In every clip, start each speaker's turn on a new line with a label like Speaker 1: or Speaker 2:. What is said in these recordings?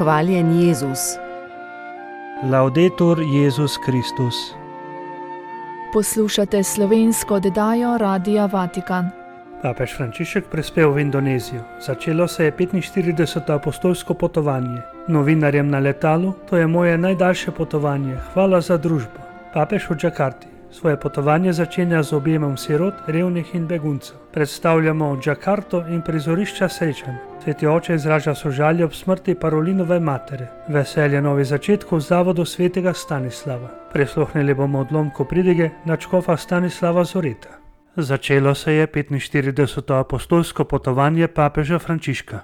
Speaker 1: Hvaljen Jezus.
Speaker 2: Laudetur Jezus Kristus.
Speaker 3: Poslušate slovensko oddajo Radia Vatikan.
Speaker 2: Papež Frančišek prispel v Indonezijo. Začelo se je 45. apostolsko potovanje. Novinarjem na letalu: to je moje najdaljše potovanje, hvala za družbo. Papež v Džakarti. Svoje potovanje začenja z objemom sirot, revnih in beguncev. Predstavljamo Džakarto in prizorišča srečanj. Sveti oče izraža sožalje ob smrti Parolinove matere. Veselje novih začetkov v zavodu svetega Stanislava. Prisluhnili bomo odlomku pridige nadškofa Stanislava Zoreta. Začelo se je 45. apostolsko potovanje papeža Frančiška.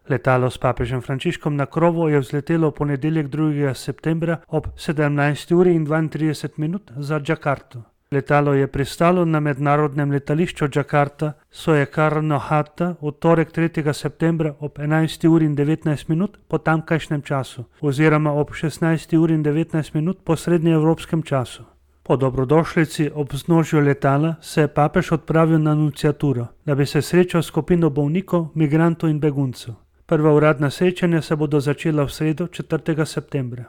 Speaker 2: Letalo s papežem Frančiškom na krovu je vzletelo v ponedeljek 2. septembra ob 17:32 za Džakarto. Letalo je pristalo na mednarodnem letališču Džakarta Soekarno-Hatta v torek 3. septembra ob 11:19 po tamkajšnjem času oziroma ob 16:19 po srednjeevropskem času. Po dobrodošlici ob vznožju letala se je papež odpravil na nunciaturo, da bi se srečal s skupino bolnikov, migrantov in beguncev. Prva uradna srečanja se bodo začela v sredo 4. septembra.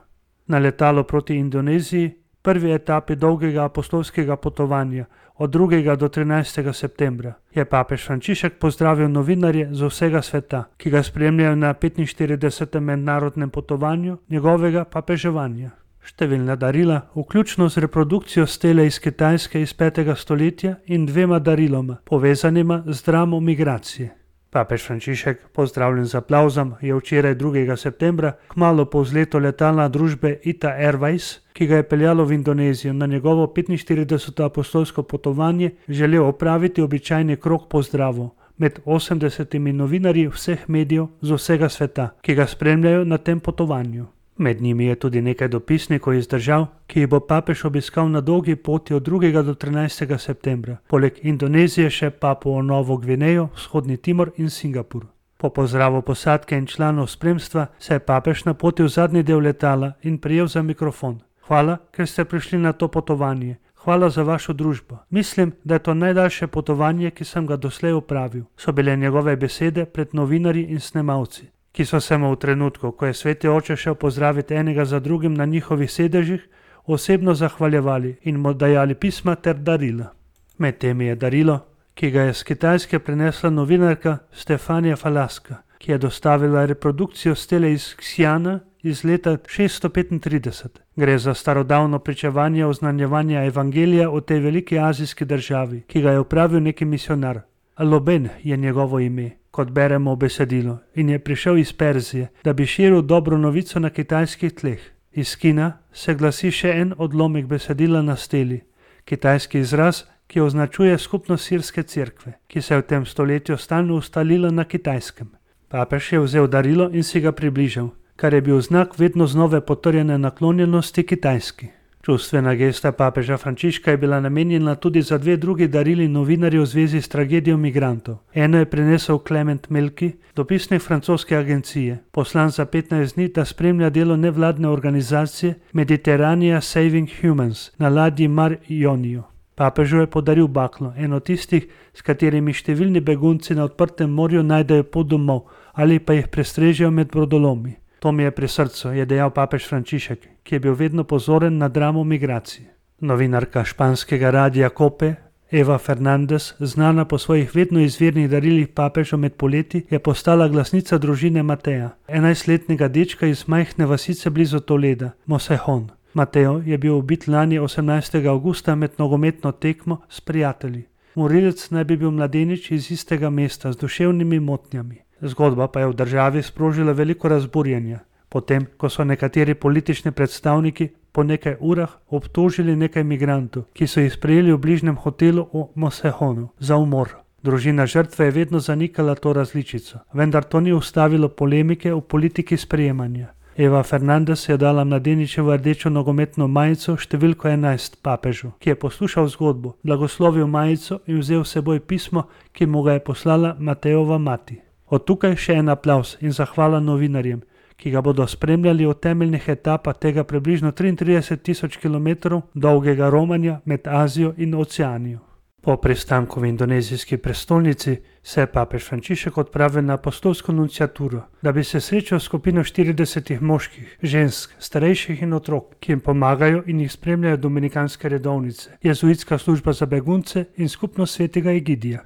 Speaker 2: Na letalo proti Indoneziji, prvi etapi dolgega apostolskega potovanja od 2. do 13. septembra, je papež Frančišek pozdravil novinarje z vsega sveta, ki ga spremljajo na 45. mednarodnem potovanju njegovega papeževanja. Številna darila, vključno z reprodukcijo stele iz Kitajske iz 5. stoletja in 2 dariloma, povezanima z dramo migracije. Papež Frančišek, pozdravljen z aplavzom, je včeraj 2. septembra, kmalu po vzletu letala družbe ITA Airways, ki ga je peljalo v Indonezijo na njegovo 45. apostolsko potovanje, želel opraviti običajni krog pozdravov med 80 novinarji vseh medijev z vsega sveta, ki ga spremljajo na tem potovanju. Med njimi je tudi nekaj dopisnikov iz držav, ki jih bo papež obiskal na dolgi poti od 2. do 13. septembra, poleg Indonezije še Papuo Novo Gvinejo, Vzhodni Timor in Singapur. Po pozdravu posadke in članov spremstva se je papež napotil v zadnji del letala in prijel za mikrofon. Hvala, ker ste prišli na to potovanje. Hvala za vašo družbo. Mislim, da je to najdaljše potovanje, ki sem ga doslej opravil, so bile njegove besede pred novinarji in snemalci, ki so se mu v trenutku, ko je sveti oče šel pozdraviti enega za drugim na njihovih sedežih, osebno zahvaljevali in mu dajali pisma ter darila. Med temi je darilo, ki ga je z Kitajske prinesla novinarka Stefanija Falaska, ki je dostavila reprodukcijo stele iz Xi'ana iz leta 635. Gre za starodavno pričevanje oznanjevanja evangelija v tej veliki azijski državi, ki ga je opravil neki misionar. Loben je njegovo ime, kot beremo v besedilu, in je prišel iz Perzije, da bi širil dobro novico na kitajskih tleh. Iz Kina se glasi še en odlomek besedila na steli, kitajski izraz, ki označuje skupnost sirske cerkve, ki se je v tem stoletju stalno ustalila na Kitajskem. Papež je vzel darilo in si ga približal, kar je bil znak vedno znove potrjene naklonjenosti Kitajski. Čustvena gesta papeža Frančiška je bila namenjena tudi za 2 drugi darili novinarjev v zvezi s tragedijo migrantov. Eno je prinesel Clement Melki, dopisnik francoske agencije, poslan za 15 dni, da spremlja delo nevladne organizacije Mediterranean Saving Humans na ladji Mar Ionio. Papežu je podaril baklo, eno tistih, s katerimi številni begunci na odprtem morju najdejo pot domov ali pa jih prestrežejo med brodolomi. To mi je pri srcu, je dejal papež Frančišek, ki je bil vedno pozoren na dramo migracije. Novinarka španskega radia COPE, Eva Fernandez, znana po svojih vedno izvirnih darilih papežu med poleti, je postala glasnica družine Mateja, 11-letnega dečka iz majhne vasice blizu Toleda, Mosejón. Mateo je bil ubit lani 18. avgusta med nogometno tekmo s prijatelji. Morilec naj bi bil mladenič iz istega mesta z duševnimi motnjami. Zgodba pa je v državi sprožila veliko razburjenja, potem ko so nekateri politični predstavniki po nekaj urah obtožili nekaj migrantov, ki so jih sprejeli v bližnjem hotelu v Mosejonu, za umor. Družina žrtve je vedno zanikala to različico, vendar to ni ustavilo polemike v politiki sprejemanja. Eva Fernandez je dala mladeničevo rdečo nogometno majico številko 11 papežu, ki je poslušal zgodbo, blagoslovil majico in vzel s seboj pismo, ki mu ga je poslala Matejova mati. Od tukaj še en aplavz in zahvala novinarjem, ki ga bodo spremljali v temeljnih etapah tega približno 33 tisoč kilometrov dolgega romanja med Azijo in Oceanijo. Po pristanku v indonezijski prestolnici se je papež Frančišek odpravil na apostolsko nunciaturo, da bi se srečal s skupino 40 moških, žensk, starejših in otrok, ki jim pomagajo in jih spremljajo dominikanske redovnice, jezuitska služba za begunce in skupnost svetega Egidija.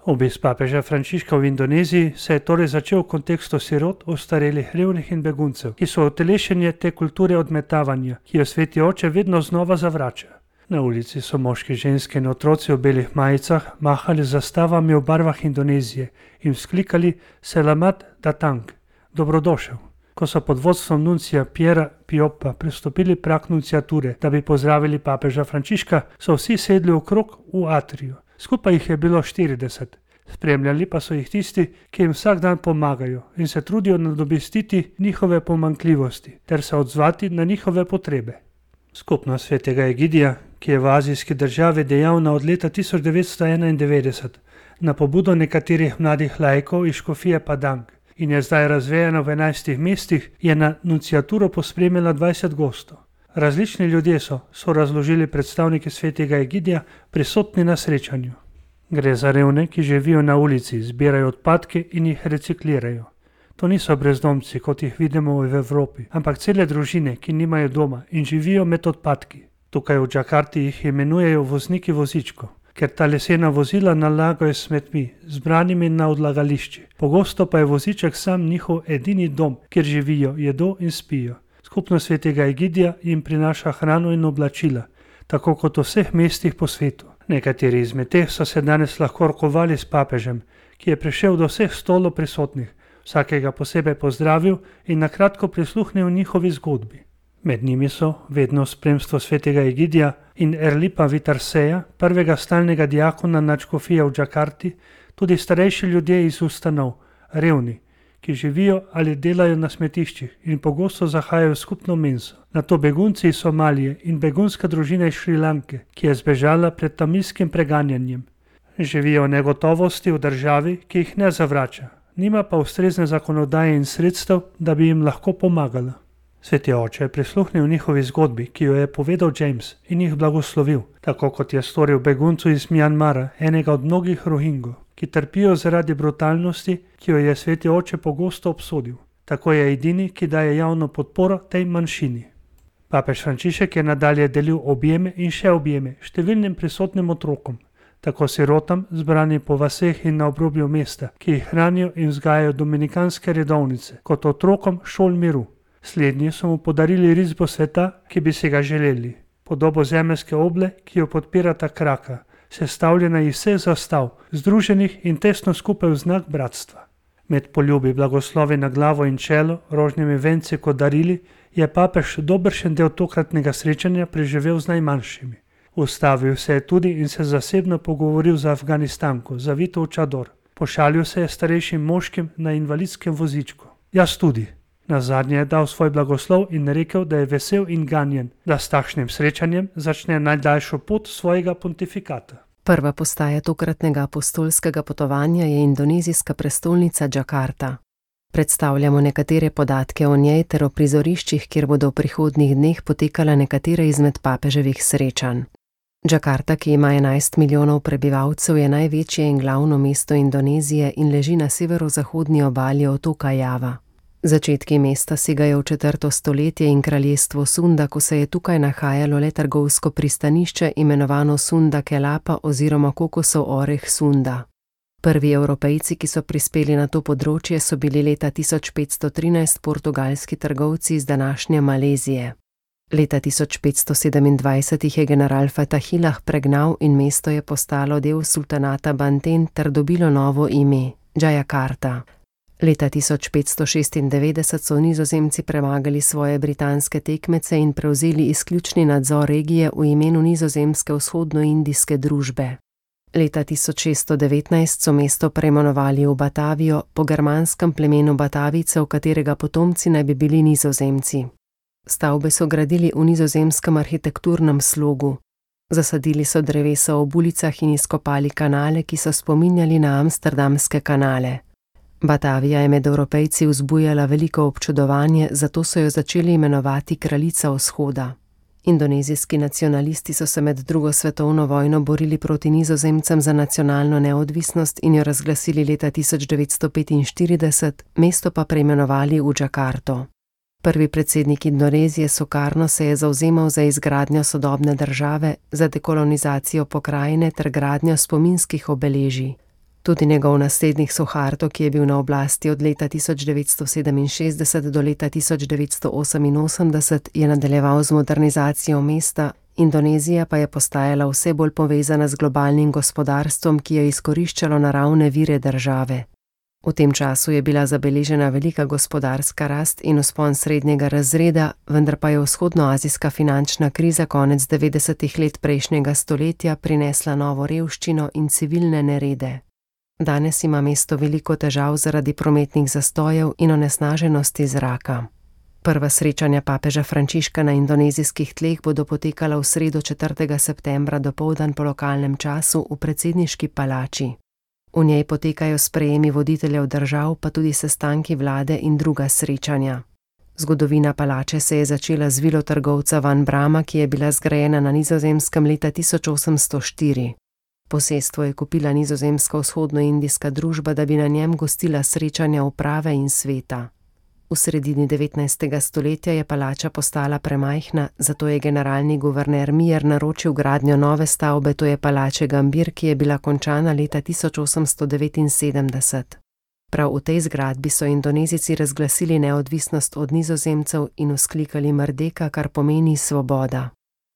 Speaker 2: Obisk papeža Frančiška v Indoneziji se je torej začel v kontekstu sirot, ostarelih, revnih in beguncev, ki so utelešenje te kulture odmetavanja, ki jo sveti oče vedno znova zavrača. Na ulici so moški, ženske in otroci v belih majicah mahali z zastavami v barvah Indonezije in vzklikali Selamat datang, dobrodošel. Ko so pod vodstvom nuncija Piera Piopa prestopili prag nunciature, da bi pozdravili papeža Frančiška, so vsi sedli okrog v atriju. Skupaj jih je bilo 40. Spremljali pa so jih tisti, ki jim vsak dan pomagajo in se trudijo nadomestiti njihove pomanjkljivosti ter se odzvati na njihove potrebe. Skupnost svetega Egidija, ki je v azijski državi dejavna od leta 1991 na pobudo nekaterih mladih laikov iz škofije Padang in je zdaj razvejana v 11 mestih, je na nunciaturo pospremila 20 gostov. Različni ljudje so razložili predstavniki svetega Egidija prisotni na srečanju. Gre za revne, ki živijo na ulici, zbirajo odpadke in jih reciklirajo. To niso brezdomci, kot jih vidimo v Evropi, ampak cele družine, ki nimajo doma in živijo med odpadki. Tukaj v Džakarti jih imenujejo vozniki vozičkov, ker ta lesena vozila nalagajo s smetmi, zbranimi na odlagališči. Pogosto pa je voziček sam njihov edini dom, kjer živijo, jedo in spijo. Skupnost svetega Egidija jim prinaša hrano in oblačila, tako kot v vseh mestih po svetu. Nekateri izmed teh so se danes lahko rokovali s papežem, ki je prišel do vseh stolov prisotnih, vsakega posebej pozdravil in nakratko prisluhnil njihovi zgodbi. Med njimi so, vedno v spremstvu svetega Egidija in Erlipa Vitarseja, prvega stalnega diakona nadškofije v Džakarti, tudi starejši ljudje iz ustanov, revni, ki živijo ali delajo na smetiščih in pogosto zahajajo v skupno menzo. Nato begunci iz Somalije in begunska družina iz Šrilanke, ki je zbežala pred tamilskim preganjanjem. Živijo v negotovosti v državi, ki jih ne zavrača, nima pa ustrezne zakonodaje in sredstev, da bi jim lahko pomagala. Sveti oče je prisluhnil njihovi zgodbi, ki jo je povedal James, in jih blagoslovil, tako kot je storil beguncu iz Mjanmara, enega od mnogih Rohingov, ki trpijo zaradi brutalnosti, ki jo je sveti oče pogosto obsodil. Tako je edini, ki daje javno podporo tej manjšini. Papež Frančišek je nadalje delil objeme in še objeme številnim prisotnim otrokom, tako sirotam, zbranim po vaseh in na obrobju mesta, ki jih hranijo in vzgajajo dominikanske redovnice, kot otrokom šol miru. Slednji so mu podarili risbo sveta, ki bi si ga želeli, podobo zemeljske oble, ki jo podpirata kraka, sestavljena iz vseh zastav, združenih in tesno skupaj v znak bratstva. Med poljubi, blagoslovi na glavo in čelo, rožnimi venci kot darili, je papež dobršen del tokratnega srečanja preživel z najmanjšimi. Ustavil se je tudi in se zasebno pogovoril z Afganistanko, zavito v čador. Pošalil se je starejšim moškim na invalidskem vozičku. Jaz tudi. Nazadnje je dal svoj blagoslov in rekel, da je vesel in ganjen, da s takšnim srečanjem začne najdaljšo pot svojega pontifikata.
Speaker 1: Prva postaja tokratnega apostolskega potovanja je indonezijska prestolnica Džakarta. Predstavljamo nekatere podatke o njej ter o prizoriščih, kjer bodo v prihodnjih dneh potekala nekatere izmed papeževih srečanj. Džakarta, ki ima 11 milijonov prebivalcev, je največje in glavno mesto Indonezije in leži na severozahodni obali otoka Java. Začetki mesta segajo v 4. stoletje in kraljestvo Sunda, ko se je tukaj nahajalo le trgovsko pristanišče imenovano Sunda Kelapa oziroma kokosov oreh Sunda. Prvi Evropejci, ki so prispeli na to področje, so bili leta 1513 portugalski trgovci iz današnje Malezije. Leta 1527 jih je general Fatahilah pregnal in mesto je postalo del sultanata Banten ter dobilo novo ime, Jayakarta. Leta 1596 so Nizozemci premagali svoje britanske tekmece in prevzeli izključni nadzor regije v imenu Nizozemske vzhodnoindijske družbe. Leta 1619 so mesto preimenovali v Batavijo po germanskem plemenu Batavicev, katerega potomci naj bi bili Nizozemci. Stavbe so gradili v nizozemskem arhitekturnem slogu. Zasadili so drevesa ob ulicah in izkopali kanale, ki so spominjali na amsterdamske kanale. Batavija je med Evropejci vzbujala veliko občudovanje, zato so jo začeli imenovati kraljica vzhoda. Indonezijski nacionalisti so se med drugo svetovno vojno borili proti Nizozemcem za nacionalno neodvisnost in jo razglasili leta 1945, mesto pa preimenovali v Džakarto. Prvi predsednik Indonezije Sukarno se je zavzemal za izgradnjo sodobne države, za dekolonizacijo pokrajine ter gradnjo spominskih obeležij. Tudi njegov naslednik Suharto, ki je bil na oblasti od leta 1967 do leta 1988, je nadaljeval z modernizacijo mesta, Indonezija pa je postajala vse bolj povezana z globalnim gospodarstvom, ki je izkoriščalo naravne vire države. V tem času je bila zabeležena velika gospodarska rast in vzpon srednjega razreda, vendar pa je vzhodnoazijska finančna kriza konec 90-ih let prejšnjega stoletja prinesla novo revščino in civilne nerede. Danes ima mesto veliko težav zaradi prometnih zastojev in onesnaženosti zraka. Prva srečanja papeža Frančiška na indonezijskih tleh bodo potekala v sredo 4. septembra dopoldan po lokalnem času v predsedniški palači. V njej potekajo sprejemi voditeljev držav, pa tudi sestanki vlade in druga srečanja. Zgodovina palače se je začela z vilo trgovca Van Brama, ki je bila zgrajena na Nizozemskem leta 1804. Posestvo je kupila nizozemska vzhodnoindijska družba, da bi na njem gostila srečanja uprave in sveta. V sredini 19. stoletja je palača postala premajhna, zato je generalni guverner Mier naročil gradnjo nove stavbe, to je palače Gambir, ki je bila končana leta 1879. Prav v tej zgradbi so Indonezijci razglasili neodvisnost od Nizozemcev in vzklikali Merdeka, kar pomeni svoboda.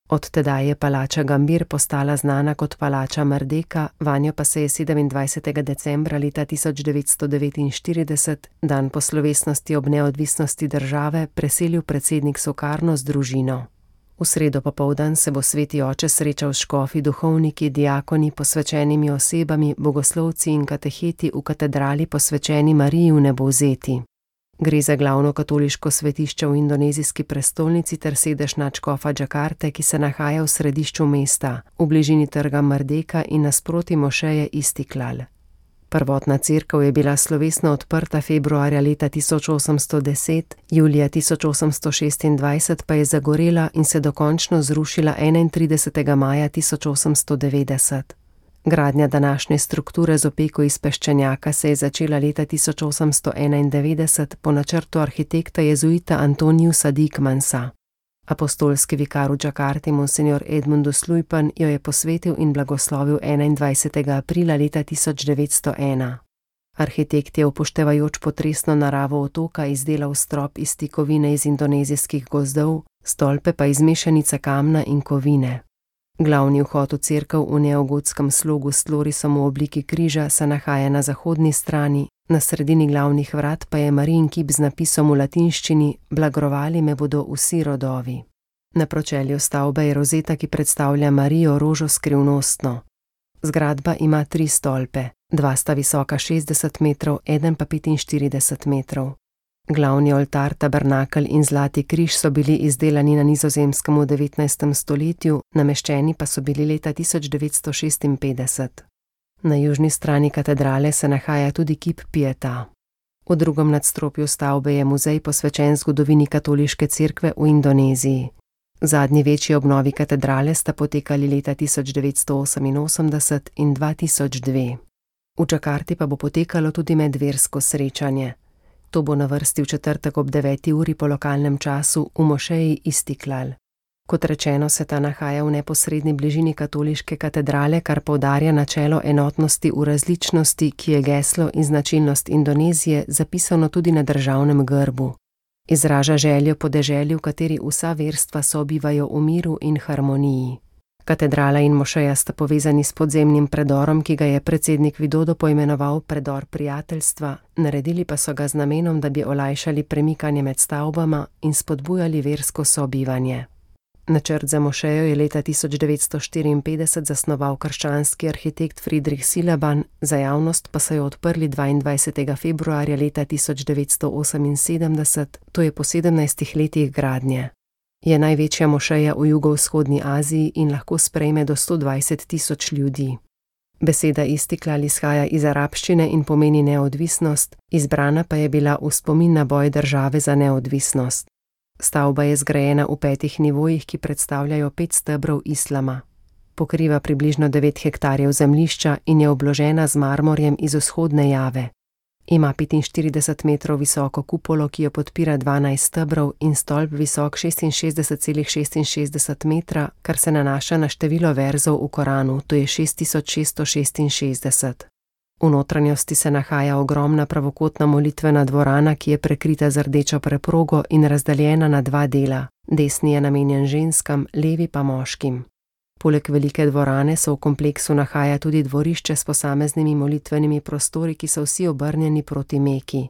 Speaker 1: Od tedaj je palača Gambir postala znana kot palača Merdeka, vanjo pa se je 27. decembra leta 1949, dan po slovesnosti ob neodvisnosti države, preselil predsednik Sukarno z družino. V sredo popoldan se bo sveti oče srečal s škofi, duhovniki, diakoni, posvečenimi osebami, bogoslovci in kateheti v katedrali posvečeni Mariji v Nebovzeti. Gre za glavno katoliško svetišče v indonezijski prestolnici ter sedež nadškofa Džakarte, ki se nahaja v središču mesta, v bližini trga Merdeka in nasproti mošeje Istiklal. Prvotna cerkev je bila slovesno odprta februarja leta 1810, julija 1826 pa je zagorela in se dokončno zrušila 31. maja 1890. Gradnja današnje strukture z opeko iz peščenjaka se je začela leta 1891 po načrtu arhitekta jezuita Antoniusa Dickmansa. Apostolski vikar v Džakarti monsignor Edmundus Lujpan jo je posvetil in blagoslovil 21. aprila leta 1901. Arhitekt je upoštevajoč potresno naravo otoka izdelal strop iz tikovine iz indonezijskih gozdov, stolpe pa iz mešanice kamna in kovine. Glavni vhod v cerkev v neogotskem slogu s tlorisom v obliki križa se nahaja na zahodni strani, na sredini glavnih vrat pa je Marijin kip z napisom v latinščini Blagrovali me bodo vsi rodovi. Na pročelju stavbe je rozeta, ki predstavlja Marijo rožo skrivnostno. Zgradba ima 3 stolpe, 2 sta visoka 60 metrov, eden pa 45 metrov. Glavni oltar, tabernakelj in zlati križ so bili izdelani na Nizozemskem v 19. stoletju, nameščeni pa so bili leta 1956. Na južni strani katedrale se nahaja tudi kip Pieta. V drugem nadstropju stavbe je muzej posvečen zgodovini katoliške cerkve v Indoneziji. Zadnji večji obnovi katedrale sta potekali leta 1988 in 2002. V Džakarti pa bo potekalo tudi medversko srečanje. To bo na vrsti v četrtek ob 9. uri po lokalnem času v mošeji Istiklal. Kot rečeno, se ta nahaja v neposredni bližini katoliške katedrale, kar poudarja načelo enotnosti v različnosti, ki je geslo in značilnost Indonezije zapisano tudi na državnem grbu. Izraža željo po deželi, v kateri vsa verstva sobivajo v miru in harmoniji. Katedrala in mošeja sta povezani s podzemnim predorom, ki ga je predsednik Widodo poimenoval predor prijateljstva, naredili pa so ga z namenom, da bi olajšali premikanje med stavbama in spodbujali versko sobivanje. Načrt za mošejo je leta 1954 zasnoval krščanski arhitekt Friedrich Silaban, za javnost pa so jo odprli 22. februarja leta 1978, to je po 17 letih gradnje. Je največja mošeja v jugovzhodni Aziji in lahko sprejme do 120.000 ljudi. Beseda Istiklal izhaja iz arabščine in pomeni neodvisnost, izbrana pa je bila v spomin na boj države za neodvisnost. Stavba je zgrajena v 5 nivojih, ki predstavljajo 5 stebrov islama. Pokriva približno 9 hektarjev zemljišča in je obložena z marmorjem iz vzhodne Jave. Ima 45 metrov visoko kupolo, ki jo podpira 12 stebrov in stolp visok 66,66 metra, kar se nanaša na število verzov v Koranu, to je 6666. V notranjosti se nahaja ogromna pravokotna molitvena dvorana, ki je prekrita z rdečo preprogo in razdeljena na 2 dela. Desni je namenjen ženskam, levi pa moškim. Poleg velike dvorane se v kompleksu nahaja tudi dvorišče s posameznimi molitvenimi prostori, ki so vsi obrnjeni proti Meki.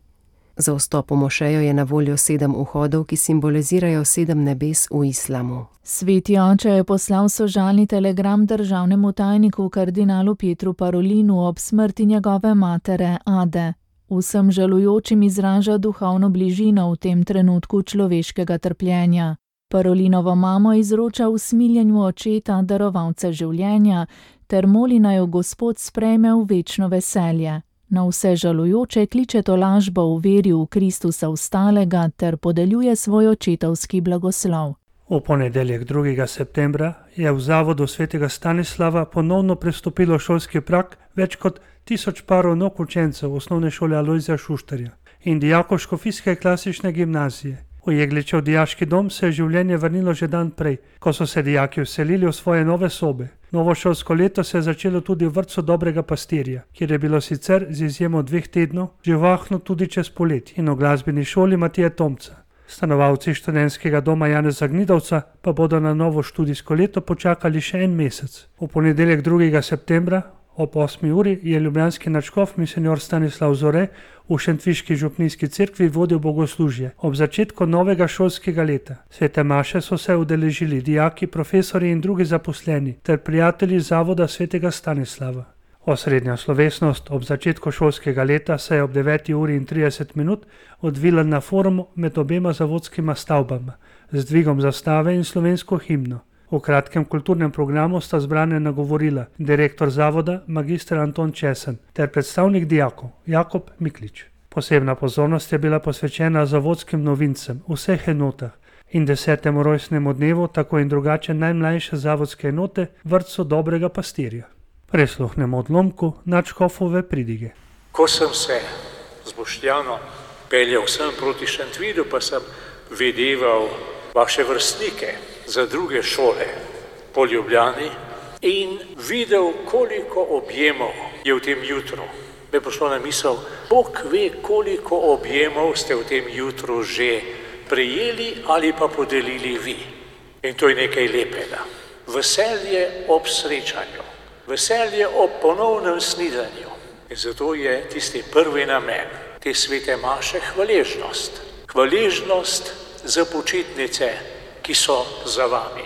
Speaker 1: Za vstop v mošejo je na voljo 7 vhodov, ki simbolizirajo 7 nebes v islamu.
Speaker 3: Sveti oče je poslal sožalni telegram državnemu tajniku kardinalu Pietru Parolinu ob smrti njegove matere Ade. Vsem žalujočim izraža duhovno bližino v tem trenutku človeškega trpljenja. Parolinovo mamo izroča v smiljenju očeta, darovalca življenja, ter moli naj jo Gospod sprejme v večno veselje. Na vse žalujoče kliče tolažbo v veri v Kristusa vstalega ter podeljuje svoj očetovski blagoslov.
Speaker 2: V ponedeljek 2. septembra je v zavodu svetega Stanislava ponovno prestopilo šolski prag več kot 1000 parov nog učencev osnovne šole Alojzija Šuštarja in dijakov Škofijske klasične gimnazije. V Jegličev dijaški dom se je življenje vrnilo že dan prej, ko so se dijaki vselili v svoje nove sobe. Novo šolsko leto se je začelo tudi v vrtcu Dobrega pastirja, kjer je bilo sicer z izjemo 2 tednov živahno tudi čez poletje, in v glasbeni šoli Matije Tomca. Stanovalci študentskega doma Janeza Gnidovca pa bodo na novo študijsko leto počakali še 1 mesec. V ponedeljek 2. septembra ob 8. uri je ljubljanski nadškof monsinjor Stanislav Zore v šentviški župnijski cerkvi vodil bogoslužje ob začetku novega šolskega leta. Svete maše so se udeležili dijaki, profesorji in drugi zaposleni ter prijatelji zavoda svetega Stanislava. Osrednja slovesnost ob začetku šolskega leta se je ob 9:30 odvila na forumu med obema zavodskima stavbama z dvigom zastave in slovensko himno. V kratkem kulturnem programu sta zbrane nagovorila direktor zavoda magister Anton Česen ter predstavnik dijakov Jakob Miklič. Posebna pozornost je bila posvečena zavodskim novincem v vseh enotah in 10. rojstnemu dnevu tako in drugače najmlajše zavodske enote vrtcu Dobrega pastirja. Prisluhnemo odlomku nadškofove pridige.
Speaker 4: Ko sem se z Boštjanom peljal sem proti Šentvidu, pa sem videval vaše vrstnike za druge šole po Ljubljani in videl, koliko objemov je v tem jutru. Me je prišlo na misel, Bog ve, koliko objemov ste v tem jutru že prejeli ali pa podelili vi. In to je nekaj lepega. Veselje ob srečanju, veselje ob ponovnem snidanju. In zato je tisti prvi namen te svete maše hvaležnost. Hvaležnost za počitnice, ki so za vami.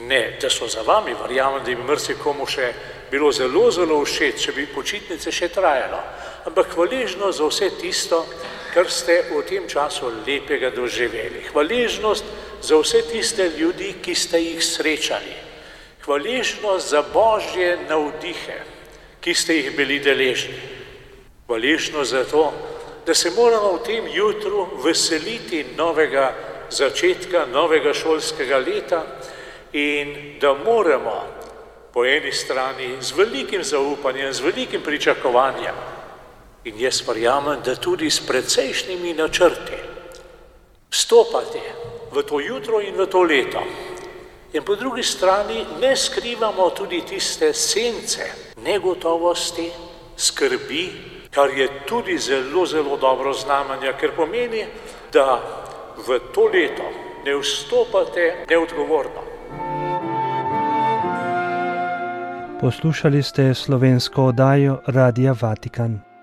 Speaker 4: Ne, da so za vami, verjamem, da bi marsikomu še bilo zelo, zelo všeč, če bi počitnice še trajalo. Ampak hvaležnost za vse tisto, kar ste v tem času lepega doživeli. Hvaležnost za vse tiste ljudi, ki ste jih srečali. Hvaležnost za Božje navdihe, ki ste jih bili deležni. Hvaležnost za to, da se moramo v tem jutru veseliti novega začetka, novega šolskega leta in da moramo po eni strani z velikim zaupanjem, z velikim pričakovanjem in jaz verjamem, da tudi s precejšnjimi načrti vstopati v to jutro in v to leto. In po drugi strani ne skrivamo tudi tiste sence negotovosti, skrbi, kar je tudi zelo, zelo dobro znamenje, ker pomeni, da v to leto ne vstopate neodgovorno.
Speaker 2: Poslušali ste slovensko oddajo Radia Vatikan.